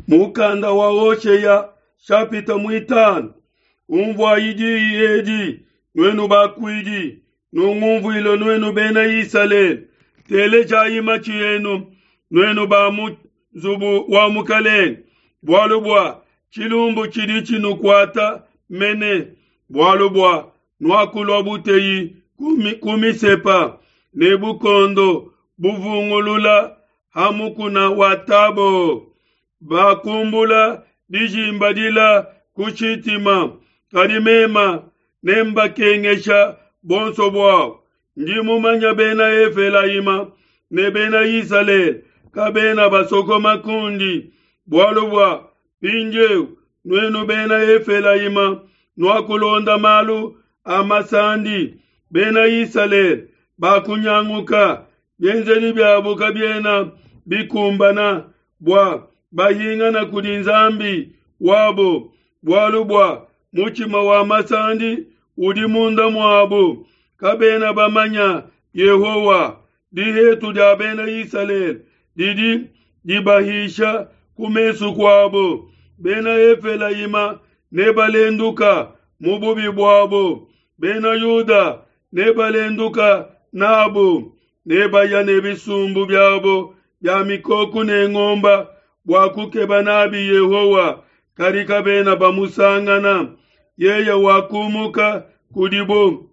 Mukanda wa Hoshea shapita muitanu. Umvuayi diyi edi, nuenu bakuidi, nungumvuile nuenu bena Isalele. Telejayi matshi enu, nuenu ba mu nzubu wa mukalenge, bualu bua tshilumbu tshidi tshinukuata mene, bualu bua nuakulua buteyi ku Misepa ne bukondo buvungulula ha mukuna wa Tabo. Bakumbula dijimba dila ku Shitima, kadi mema nembakengesha bonso buabo. Ndi mumanya bena Efelayima ne bena Isalele kabena basokoma kundi, bualu bua mpindieu nuenu bena Efelayima nuakulonda malu a masandi, bena Isalele bakunyanguka, bienzedi biabo kabiena bikumbana bua bahingana kudi Nzambi wabo, bualu bua mutshima wa masandi udi munda muabo, kabena bamanya Yehowa. Dihetu dia bena Isalele didi dibahisha ku mesu kuabo. Bena Efelayima nebalenduka mu bubi buabo, bena Yuda nebalenduka nabo, nebaya ne bisumbu biabo bia mikoko ne ngomba bua kukeba nabi Yehowa, kadi kabena bamusangana. Yeye wakumuka kudibo.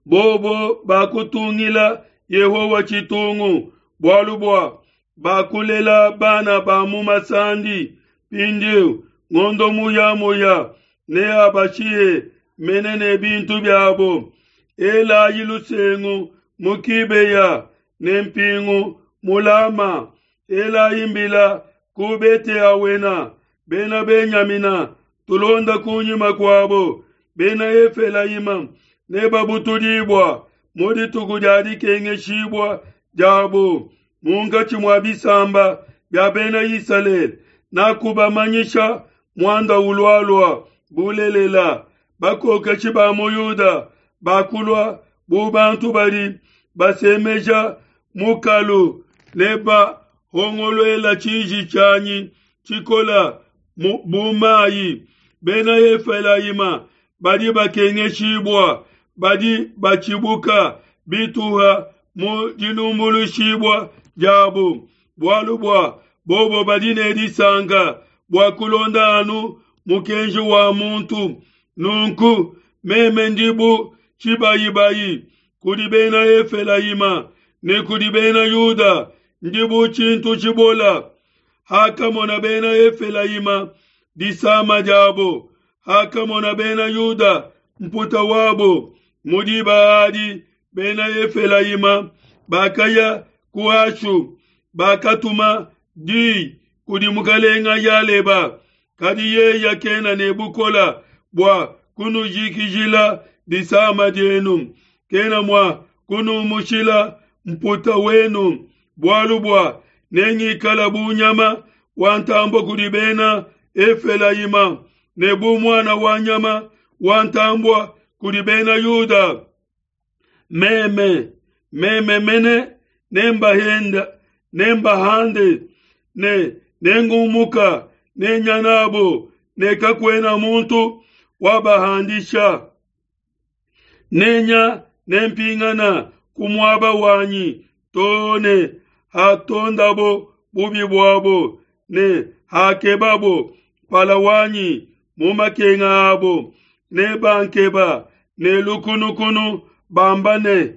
Bobo bakutungila Yehowa tshitungu, bualu bua bakulela bana ba mu masandi. Mpindieu ngondo muyamuya neabashihe mene ne bintu biabo. Elayi lusengu mu Kibeya ne mpingu mu Lama. Elayi mbila ku Bete-awena. Bena Benyamina tulonda kunyima kuabo. Bena Efelayima nebabutudibua mu dituku dia dikengeshibua diabo munkatshi mua bisamba bia bena Isalele. Nakubamanyisha muanda ulualua bulelela. Bakokeshi ba mu Yuda bakulua bu bantu badi basemeja mukalu ne bahongoluela tshiji tshianyi tshikola bu mayi. Bena Efelayima badi bakengeshibua, badi batshibuka bituha mu dilumbuluishibua diabo, bualu bua bobo badi ne disanka bua kulonda anu mukenji wa muntu. Nunku meme ndi bu tshibayibayi kudi bena Efelayima ne kudi bena Yuda ndi bu tshintu tshibola. Hakamona bena Efelayima disama diabo, hakamona bena Yuda mputa wabo, mu diba adi bena Efelayima bakaya ku Ashu, bakatuma diyi kudi mukalenga Yaleba, kadi yeye kena ne bukola bua kunujikijila disama dienu, kena mua kunumushila mputa wenu, bualu bua nengikala bu nyama wa ntambue kudi bena Efelayima ne bu muana wa nyama wa ntambue kudi bena Yuda. Meme, meme mene nembahenda nembahande ne nengumuka nenya nabo ne kakuena muntu wabahandisha. Nenya nempingana ku muaba wanyi too ne hatondabo bubi buabo ne hakebabo mpala wanyi mu makenga abo, nebankeba ne lukunukunu bamba ne,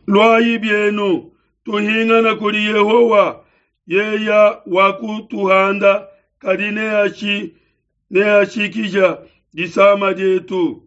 Luayi bienu, tuhingana kudi Yehowa, yeya wakutuhanda, kadi neashi neashikija disama dietu.